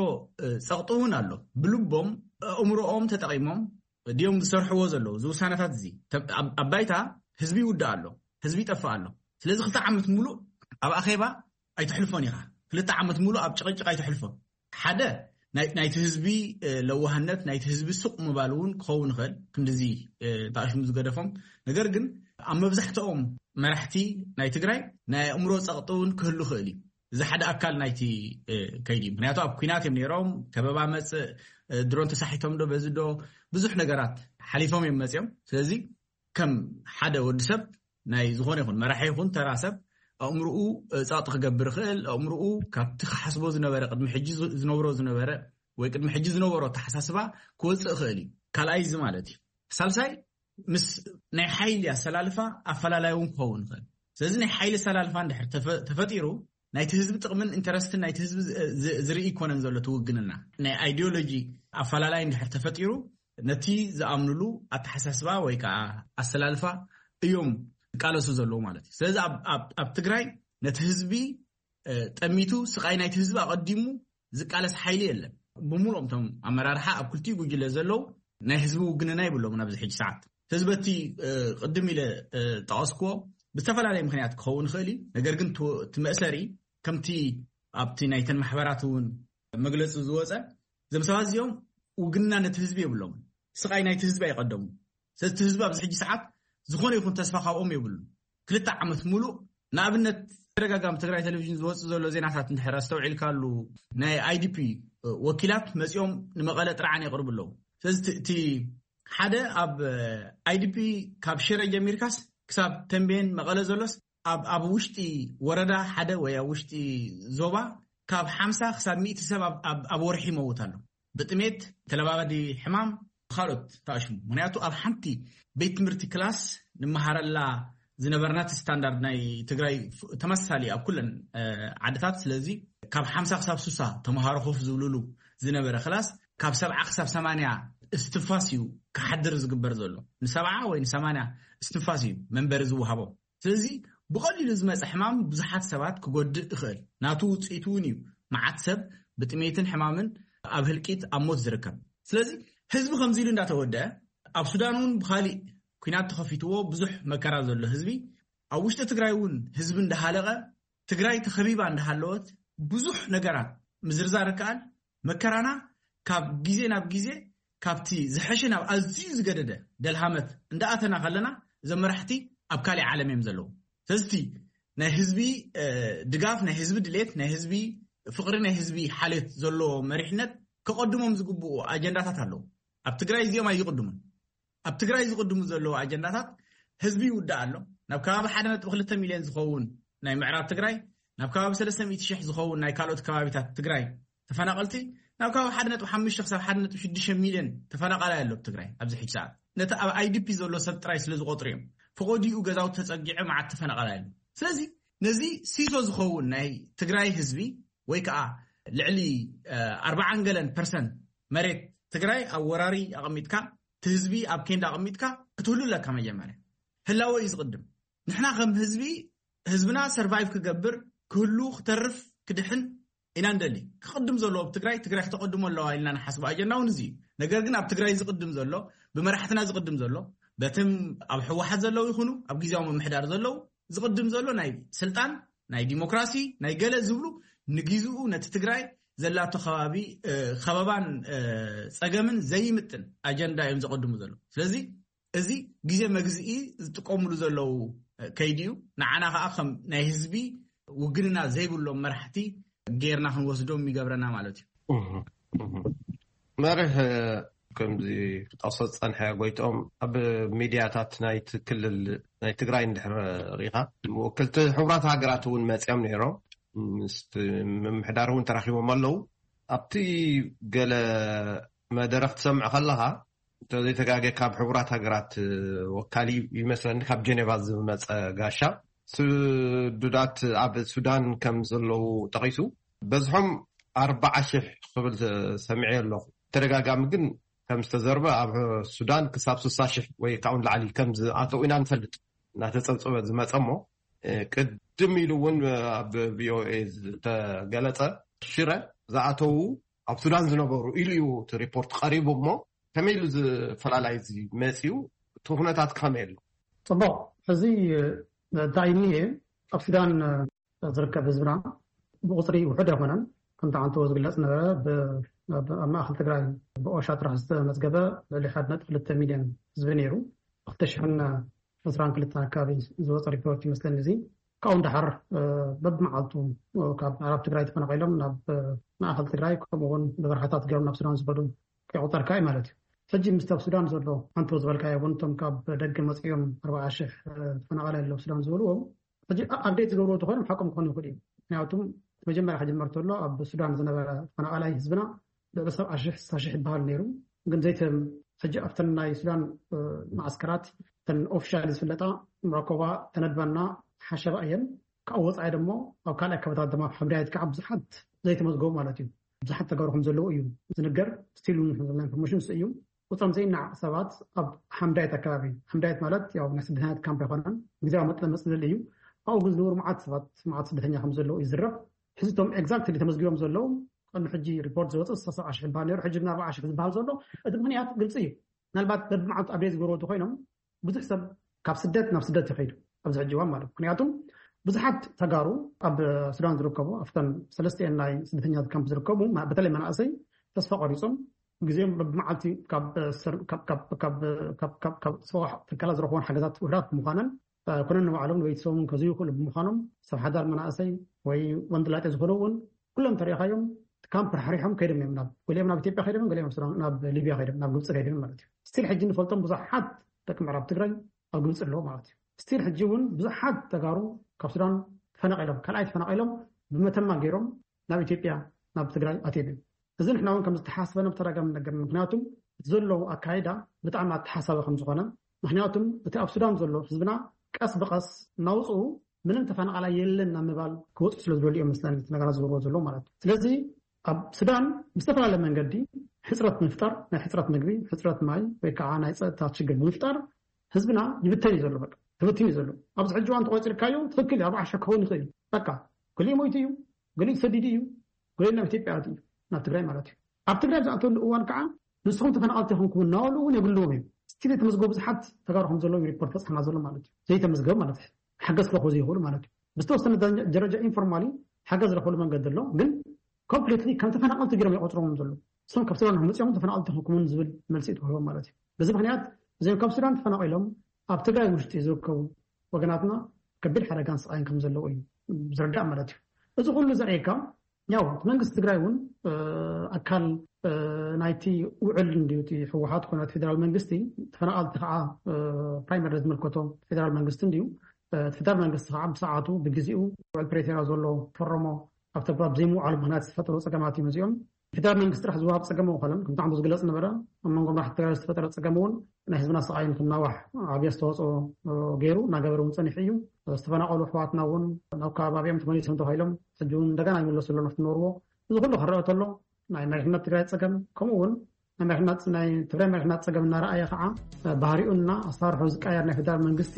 ጸቕጢ እውን ኣሎ። ብልቦም ኣእምሮኦም ተጠቒሞም ድዮም ዝሰርሕዎ ዘለዉ እዚ ውሳነታት እዚ? ኣብ ባይታ ህዝቢ ይውዳእ ኣሎ፣ ህዝቢ ይጠፍእ ኣሎ። ስለዚ ክልተ ዓመት ሙሉእ ኣብ ኣኼባ ኣይተሕልፎን ኢኻ። ክልተ ዓመት ሙሉእ ኣብ ጭቕጭቕ ኣይተሕልፎን። ሓደ፣ ናይቲ ህዝቢ ለዋህነት፣ ናይቲ ህዝቢ ስቕ ምባል እውን ክኸውን ይኽእል፣ ክንድዚ ተኣሽሙ ዝገደፎም። ነገር ግን ኣብ መብዛሕትኦም መራሕቲ ናይ ትግራይ ናይ ኣእምሮ ጸቕጢ እውን ክህሉ ይኽእል እዩ። እዚ ሓደ ኣካል ናይቲ ከይዲ እዩ። ምክንያቱ ኣብ ኩናት እዮም ነይሮም። ከበባ መጽእ፣ ድሮን ተሳሒቶም ዶ በዚ ዶ፣ ብዙሕ ነገራት ሓሊፎም እዮም መጽኦም። ስለዚ ከም ሓደ ወዲ ሰብ፣ ናይ ዝኾነ ይኹን መራሒ ይኹን ተራ ሰብ፣ ኣእምርኡ ጸቕጢ ክገብር ይኽእል። ኣእምርኡ ካብቲ ክሓስቦ ዝነበረ፣ ቅድሚ ሕጂ ዝነብሮ ዝነበረ ወይ ቅድሚ ሕጂ ዝነበሮ ኣተሓሳስባ ክወፅእ ይኽእል እዩ። ካልኣይ እዚ ማለት እዩ። ሳልሳይ፣ ምስ ናይ ሓይሊ ኣሰላልፋ ኣፈላላይ እውን ክኸውን ይኽእል። ስለዚ ናይ ሓይሊ ኣሰላልፋ እንድሕር ተፈጢሩ፣ ናይቲ ህዝቢ ጥቕምን ኢንተረስትን ናይቲ ህዝቢ ዝርኢ ይኮነን ዘሎ ትውግንና። ናይ ኣይዲዮሎጂ ኣፈላላይ እንድሕር ተፈጢሩ፣ ነቲ ዝኣምኑሉ ኣተሓሳስባ ወይ ከዓ ኣሰላልፋ እዮም ዝቃለሱ ዘለዉ ማለት እዩ። ስለዚ ኣብ ትግራይ ነቲ ህዝቢ ጠሚቱ፣ ስቓይ ናይቲ ህዝቢ ኣቐዲሙ ዝቃለስ ሓይሊ የለን። ብምሉኦም እቶም ኣመራርሓ ኣብ ክልቲኡ ጉጅለ ዘለዉ ናይ ህዝቢ ውግንና ይብሎም ናብዚ ሕጂ ሰዓት። ህዝበቲ ቅድም ኢለ ጠቐስክዎ ብዝተፈላለየ ምክንያት ክኸውን ይኽእል እዩ። ነገር ግን እቲ መእሰሪ ከምቲ ኣብቲ ናይተን ማሕበራት እውን መግለፂ ዝወፀ፣ እዞም ሰባት እዚኦም ውግንና ነቲ ህዝቢ የብሎም። ስቓይ ናይቲ ህዝቢ ኣይቐደሙ። ስለዚ እቲ ህዝቢ ኣብዚ ሕጂ ሰዓት ዝኾነ ይኹን ተስፋ ካብኦም የብሉን። ክልተ ዓመት ሙሉእ፣ ንኣብነት ተደጋጋሚ ትግራይ ቴሌቪዥን ዝወፅእ ዘሎ ዜናታት እንድሕር ኣስተውዒልካሉ፣ ናይ ኣይዲፒ ወኪላት መፂኦም ንመቐለ ጥርዓን የቕርቡ ኣለዉ። ስለዚ እቲ ሓደ ኣብ ኣይዲፒ ካብ ሽረ ጀሚርካስ ክሳብ ተንቤን መቐለ ዘሎስ ኣብ ውሽጢ ወረዳ ሓደ ወይ ኣብ ውሽጢ ዞባ ካብ ሓምሳ ክሳብ ሚእቲ ሰብ ኣብ ወርሒ ይመውት ኣሎ። ብጥሜት፣ ተለባባዲ ሕማም፣ ካልኦት ተኣሽሙ። ምክንያቱ ኣብ ሓንቲ ቤት ትምህርቲ ክላስ ንመሃረላ ዝነበርና፣ እቲ ስታንዳርድ ናይ ትግራይ ተመሳሳሊ ኣብ ኩለን ዓድታት። ስለዚ ካብ ሓምሳ ክሳብ ሱሳ ተምሃሮ ኮፍ ዝብልሉ ዝነበረ ክላስ ካብ ሰብዓ ክሳብ ሰማንያ እስትንፋስ እዩ ክሓድር ዝግበር ዘሎ። ንሰብዓ ወይ ንሰማንያ እስትንፋስ እዩ መንበሪ ዝወሃቦ። ስለዚ ብቐሊሉ ዝመፀ ሕማም ብዙሓት ሰባት ክጎድእ ይኽእል። ናቱ ውፅኢት እውን እዩ። መዓት ሰብ ብጥሜትን ሕማምን ኣብ ህልቂት፣ ኣብ ሞት ዝርከብ። ስለዚ ህዝቢ ከምዚ ኢሉ እንዳተወደአ፣ ኣብ ሱዳን እውን ብኻሊእ ኩናት ተኸፊትዎ ብዙሕ መከራ ዘሎ ህዝቢ፣ ኣብ ውሽጢ ትግራይ እውን ህዝቢ እንዳሃለቐ፣ ትግራይ ተኸቢባ እንዳሃለወት፣ ብዙሕ ነገራት ምዝርዛር ይከኣል። መከራና ካብ ግዜ ናብ ግዜ፣ ካብቲ ዝሐሸ ናብ ኣዝዩ ዝገደደ ደልሃመት እንዳኣተና ከለና፣ እዞም መራሕቲ ኣብ ካሊእ ዓለም እዮም ዘለዉ። ስለዚ ናይ ህዝቢ ድጋፍ፣ ናይ ህዝቢ ድሌት፣ ናይ ህዝቢ ፍቕሪ፣ ናይ ህዝቢ ሓልዮት ዘለዎ መሪሕነት ከቐድሞም ዝግብኡ ኣጀንዳታት ኣለዉ። ኣብ ትግራይ እዚኦም ኣይቕድሙን። ኣብ ትግራይ ዝቕድሙ ዘለዉ ኣጀንዳታት፣ ህዝቢ ይውዳእ ኣሎ። ናብ ከባቢ ሓደ ነጥቢ ክልተ ሚልዮን ዝኸውን ናይ ምዕራብ ትግራይ፣ ናብ ከባቢ ሰለስተ ሚእቲ ሽሕ ዝኸውን ናይ ካልኦት ከባቢታት ትግራይ ተፈናቐልቲ፣ ናብ ከባቢ ሓደ ነጥቢ ሓሙሽተ ክሳብ ሓደ ነጥቢ ሽዱሽተ ሚልዮን ተፈናቓላይ ኣሎ ኣብ ትግራይ ኣብዚ ሕጂ ሰዓት። ነቲ ኣብ ኣይዲፒ ዘሎ ሰብ ጥራይ ስለ ዝቖፅሩ እዮም። ፈቐዲኡ ገዛውቲ ተፀጊዐ መዓት ተፈናቓላይ ኣሎ። ስለዚ ነዚ ሲሶ ዝኸውን ናይ ትግራይ ህዝቢ፣ ወይ ከዓ ልዕሊ ኣርባዓን ገለን ፐርሰንት መሬት ትግራይ ኣብ ወራሪ ኣቐሚጥካ፣ እቲ ህዝቢ ኣብ ኬንዳ ኣቐሚጥካ ክትህሉ ኣለካ። መጀመርያ ህላወ እዩ ዝቕድም። ንሕና ከም ህዝቢ፣ ህዝብና ሰርቫይቭ ክገብር፣ ክህሉ፣ ክተርፍ፣ ክድሕን ኢና እንደሊ። ክቕድም ዘለዎ ኣብ ትግራይ፣ ትግራይ ክተቐድሞ ኣለዋ ኢልና ንሓስቦ ኣጀንዳ እውን እዚ እዩ። ነገር ግን ኣብ ትግራይ ዝቕድም ዘሎ፣ ብመራሕትና ዝቕድም ዘሎ፣ በትም ኣብ ህወሓት ዘለዉ ይኹኑ ኣብ ግዜያዊ ምምሕዳር ዘለዉ፣ ዝቕድም ዘሎ ናይ ስልጣን፣ ናይ ዲሞክራሲ፣ ናይ ገለ ዝብሉ፣ ንግዜኡ ነቲ ትግራይ ዘላቶ ከባቢ ከበባን ፀገምን ዘይምጥን ኣጀንዳ እዮም ዘቐድሙ ዘለዉ። ስለዚ እዚ ግዜ መግዝኢ ዝጥቀምሉ ዘለዉ ከይዲ እዩ። ንዓና ከዓ ከም ናይ ህዝቢ ውግንና ዘይብሎም መራሕቲ ጌርና ክንወስዶም ይገብረና ማለት እዩ። መርህ ከምዚ ክጠቕሶ ዝጸንሐ ጎይትኦም፣ ኣብ ሚድያታት ናይቲ ክልል ናይ ትግራይ እንድሕር ርኢኻ፣ ወክልቲ ሕቡራት ሃገራት እውን መጺኦም ነይሮም፣ ምስ ምምሕዳር እውን ተራኺቦም ኣለዉ። ኣብቲ ገለ መደረኽ ትሰምዕ ከለኻ፣ እንተዘይተጋገ ካብ ሕቡራት ሃገራት ወካሊ ይመስለኒ፣ ካብ ጀኔቫ ዝመጸ ጋሻ፣ ስዱዳት ኣብ ሱዳን ከም ዘለዉ ጠቒሱ፣ በዝሖም ኣርባዓ ሽሕ ክብል ሰሚዐ ኣለኹ። ተደጋጋሚ ግን ከም ዝተዘርበ ኣብ ሱዳን ክሳብ ስሳ ሽሕ ወይ ካብኡ ንላዕሊ ከም ዝኣተው ኢና ንፈልጥ። እናተጸብጸበ ዝመጸ እሞ፣ ቅድም ኢሉ እውን ኣብ ቪኦኤ ዝተገለጸ፣ ሽረ ዝኣተዉ ኣብ ሱዳን ዝነበሩ ኢሉ እዩ እቲ ሪፖርት ቀሪቡ እሞ፣ ከመይ ኢሉ ዝፈላላይ እዚ መጺኡ? እቲ ኩነታት ከመይ ኣሎ? ጽቡቕ። እዚ እንታይ እዩ እኒሄ? ኣብ ሱዳን ዝርከብ ህዝብና ብቁጽሪ ውሑድ ኣይኮነን። ከምቲ ዓንተዎ ዝግለጽ ነበረ፣ ብ-፣ ኣብ ማእከል ትግራይ ብኦሻ ጥራሕ ዝተመዝገበ ልዕሊ ሓደ ነጥቢ ክልተ ሚልዮን ህዝቢ ነይሩ። ክልተ ሽሕን ዕስራን ክልተ ኣካባቢ ዝወፀ ሪፖርት ይመስለኒ። እዚ ካብኡ ንደሓር፣ እ፣ በብመዓልቱ፣ እ፣ ካብ ምዕራብ ትግራይ ተፈናቒሎም ናብ፣ እ፣ ማእኸል ትግራይ፣ ከምኡ እውን ብበረኻታት ገይሮም ናብ ሱዳን ዝኸዱ ከይቆፀርካ እዩ ማለት እዩ። ሕጂ ምስቲ ኣብ ሱዳን ዘሎ ኣንቶ ዝበልካዮ እውን እቶም ካብ ደገ መፂኦም ኣርባዓ ሽሕ፣ እ፣ ተፈናቓላይ ኣለዉ ሱዳን ዝበልዎም፣ ሕጂ ኣ-፣ ኣፕዴት ዝገብርዎ ተኾይኖም ሓቆም ክኾኑ ይኽእሉ እዩ። ምክንያቱም መጀመርያ ክጅመር ተሎ ኣብ ሱዳን ዝነበረ ተፈናቓላይ ህዝብና ልዕሊ ሰብዓ ሽሕ፣ ስሳ ሽሕ ይበሃል ነይሩ። ግን ዘይተ-፣ ሕጂ ኣብተን ናይ ሱዳን፣ እ፣ መዓስከራት፣ እተን ኦፊሻሊ ዝፍለጣ መዕቆባ ተነድባና ሓሸባ እየን። ካብኡ ወፃኢ ደሞ ኣብ ካልኣይ ከባታት ድማ ኣብ ሓምዳየት ከዓ ብዙሓት ዘይተመዝገቡ ማለት እዩ። ብዙሓት ተጋሩ ከም ዘለዉ እዩ ዝንገር። ስቲል እውን ከም ዘለና ኢንፎርሜሽን እሱ እዩ። ቁፅሮም ዘይናዕ ሰባት ኣብ ሓምዳየት ኣካባቢ፣ ሓምዳየት ማለት ያው ናይ ስደተኛታት ካምፕ ኣይኮነን፣ ግዜያዊ መጥለመፂ ዘለ እዩ። ኣብኡ ግን ዝነብሩ መዓት ሰባት፣ መዓት ስደተኛ ከም ዘለዉ እዩ ዝረብ። ሕዚ እቶም ኤግዛክትሊ ተመዝጊቦም ዘለዉ ቅድሚ ሕጂ ሪፖርት ዝወፀ ሰብዓ ሽሕ ይበሃል ነይሩ፣ ሕጂ ግን ኣርባዓ ሽሕ ዝበሃል ዘሎ። እቲ ምኽንያት ግልፂ እዩ። ምናልባት በብመዓልቱ ኣፕዴት ዝገብርዎ እንተኾይኖም ብዙሕ ሰብ ካብ ስደት ናብ ስደት ይኸይዱ ኣብዚ ሕጂ እዋን ማለት እዩ። ምክንያቱም ብዙሓት ተጋሩ ኣብ ሱዳን ዝርከቡ ኣብተን ሰለስቲኤን ናይ ስደተኛታት ካምፕ ዝርከቡ ማ-፣ በተለይ መናእሰይ ተስፋ ቆሪፆም ግዜኦም በብመዓልቲ ካብ ሰር-፣ ካብ፣ ካብ፣ ካብ፣ ካብ፣ ካብ፣ ካብ ሰብኣዊ ትካላት ዝረኽቦን ሓገዛት ውሑዳት ብምዃነን፣ እ፣ ኮነ ንባዕሎም ንቤተሰቦምን ከዝዩ ይኽእሉ ብምዃኖም ሰብ ሓዳር መናእሰይ ወይ ወንድላጤ ዝኾኑ እውን ኩሎም ተሪኢኻዮም ካምፕ ራሕሪሖም ከይዶም እዮም። ናብ፣ ገሊኦም ናብ ኢትዮጵያ ከይዶም፣ ገሊኦም ናብ ሱዳን፣ ናብ ሊብያ ከይዶም፣ ናብ ግብፂ ከይዶም ማለት እዩ። ስቲል ሕጂ ንፈልጦም ብዙሓት ደቂ ምዕራብ ትግራይ ኣብ ግብፂ ኣለዉ ማለት እዩ። ስቲል ሕጂ እውን ብዙሓት ተጋሩ ካብ ሱዳን ተፈናቒሎም፣ ካልኣይ ተፈናቒሎም ብመተማ ገይሮም ናብ ኢትዮጵያ፣ ናብ ትግራይ ኣትዮም እዮም። እዚ ንሕና እውን ከም ዝተሓስበ ናብ ተደጋጋሚ ነገር፣ ምክንያቱም እቲ ዘሎ ኣካይዳ ብጣዕሚ ኣተሓሳቢ ከም ዝኾነ፣ ምክንያቱም እቲ ኣብ ሱዳን ዘሎ ህዝብና ቀስ ብቐስ እናውፅኡ ምንም ተፈናቓላይ የለን ናብ ምባል ክወፁ ስለ ዝደልዩ እዮም መስለኒ እቲ ነገራት ዝገብርዎ ዘለዉ ማለት እዩ። ስለዚ ኣብ ሱዳን ብዝተፈላለየ መንገዲ ሕፅረት ምፍጣር፣ ናይ ሕፅረት ምግቢ፣ ሕፅረት ማይ ወይ ከዓ ናይ ፀጥታ ችግር ብምፍጣር ህዝብና ይብተን እዩ ዘሎ። በቃ ተበቲኑ እዩ ዘሎ። ኣብዚ ሕጂ እዋን ተቆፂርካዮ ትኽክል እዩ፣ ኣርባዓ ሽሕ ክኸውን ይኽእል እዩ። በቃ ገሊኡ ሞይቱ እዩ፣ ገሊኡ ተሰዲዱ እዩ፣ ገሊኡ ናብ ኢትዮጵያ ኣትዩ እዩ፣ ናብ ትግራይ ማለት እዩ። ኣብ ትግራይ ዝኣተሉ እዋን ከዓ ንስኹም ተፈናቐልቲ ኢኹም ክብሉ እናበሉ እውን የብልዎም እዮም። ስቲል የተመዝገቡ ብዙሓት ተጋሩ ከም ዘለዉ ሪፖርት በፅሓና ዘሎ ማለት እዩ። ዘይተመዝገቡ ማለት እዩ። ሓገዝ ክረኽቡ ዘይኽእሉ ማለት እዩ። ብዝተወሰነ ደረጃ፣ ደረጃ ኢንፎርማሊ ሓገዝ ዝረኽብሉ መንገዲ ኣሎ፣ ግን ኮምፕሊትሊ ከም ተፈናቐልቲ ገይሮም ይቆፅሮም ዘለዉ። እሶም ካብ ሱዳን መፅኦም ተፈናቐልቲ ክሕክሙን ዝብል መልሲ እዩ ተዋሂቦም ማለት እዩ። በዚ ምክንያት እዚኦም ካብ ሱዳን ተፈናቒሎም ኣብ ትግራይ ውሽጢ ዝርከቡ ወገናትና ከቢድ ሓደጋን ስቓይን ከም ዘለዉ እዩ ዝርዳእ ማለት እዩ። እዚ ኩሉ ዘርእየካ ያው እቲ መንግስቲ ትግራይ እውን፣ እ፣ ኣካል፣ እ፣ ናይቲ ውዕል እንድዩ፣ እቲ ህወሓት ኮነ እቲ ፌደራል መንግስቲ፣ ተፈናቐልቲ ከዓ፣ እ፣ ፕራይመሪ ዝምልከቶ ፌደራል መንግስቲ እንድዩ። እ፣ እቲ ፌደራል መንግስቲ ከዓ ብሰዓቱ ብግዜኡ ውዕል ፕሬቶርያ ዘሎ ፈረሞ ኣብ ተግባር ብዘይምውዓሉ ምክንያት ዝተፈጠሩ ፀገማት እዮም እዚኦም። ፌደራል መንግስቲ ጥራሕ ዝወሃብ ፀገም ኣይኮነን። ከምቲ ዓንዱ ዝግለፅ ነበረ፣ ኣብ መንጎ መራሕቲ ትግራይ ዝተፈጠረ ፀገም እውን ናይ ህዝብና ስቓይ ንክናዋሕ ዓብዪ ኣስተዋፅኦ፣ እ፣ ገይሩ እናገበረ እውን ፀኒሑ እዩ። ዝተፈናቐሉ ኣሕዋትና እውን ናብ ከባቢኦም ተመሊሶም ተባሂሎም ሕጂ እውን እንደገና ይምለሱ ኣለዉ ናብቲ ዝነበርዎ። እዚ ኩሉ ክረአ ከሎ ናይ መሪሕነት ትግራይ ፀገም፣ ከምኡ እውን ናይ መሪሕነት፣ ናይ ትግራይ መሪሕነት ፀገም እናረኣየ ከዓ፣ እ፣ ባህሪኡና ኣሰራርሑ ዝቀየር ናይ ፌደራል መንግስቲ፣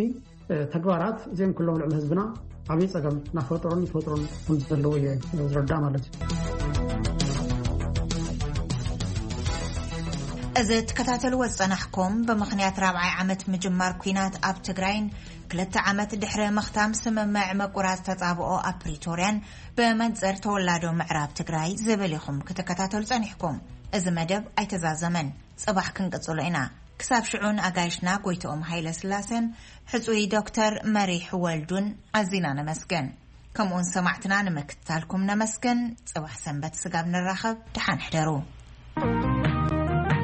እ፣ ተግባራት እዚኦም ኩሎም ልዕሊ ህዝብና ዓብዪ ፀገም እናፈጠሩን ይፈጥሩን ከም ዘለዉ እየ ዝርዳእ ማለት እዩ። እዚ ትከታተልዎ ዝጸናሕኩም ብምኽንያት ራብዓይ ዓመት ምጅማር ኲናት ኣብ ትግራይን ክልተ ዓመት ድሕሪ ምኽታም ስምምዕ ምቁራጽ ተጻብኦ ኣብ ፕሪቶርያን ብመንጽር ተወላዶ ምዕራብ ትግራይ ዝብል ኢኹም ክትከታተሉ ጸኒሕኩም። እዚ መደብ ኣይተዛዘመን፣ ጽባሕ ክንቅጽሎ ኢና። ክሳብ ሽዑ ንኣጋይሽና ጎይትኦም ሃይለ ስላሴን ሕጹይ ዶክተር መሪሕ ወልዱን ኣዚና ነመስግን። ከምኡውን ሰማዕትና ንምክትታልኩም ነመስግን። ጽባሕ ሰንበት ስጋብ ንራኸብ፣ ደሓን ሕደሩ።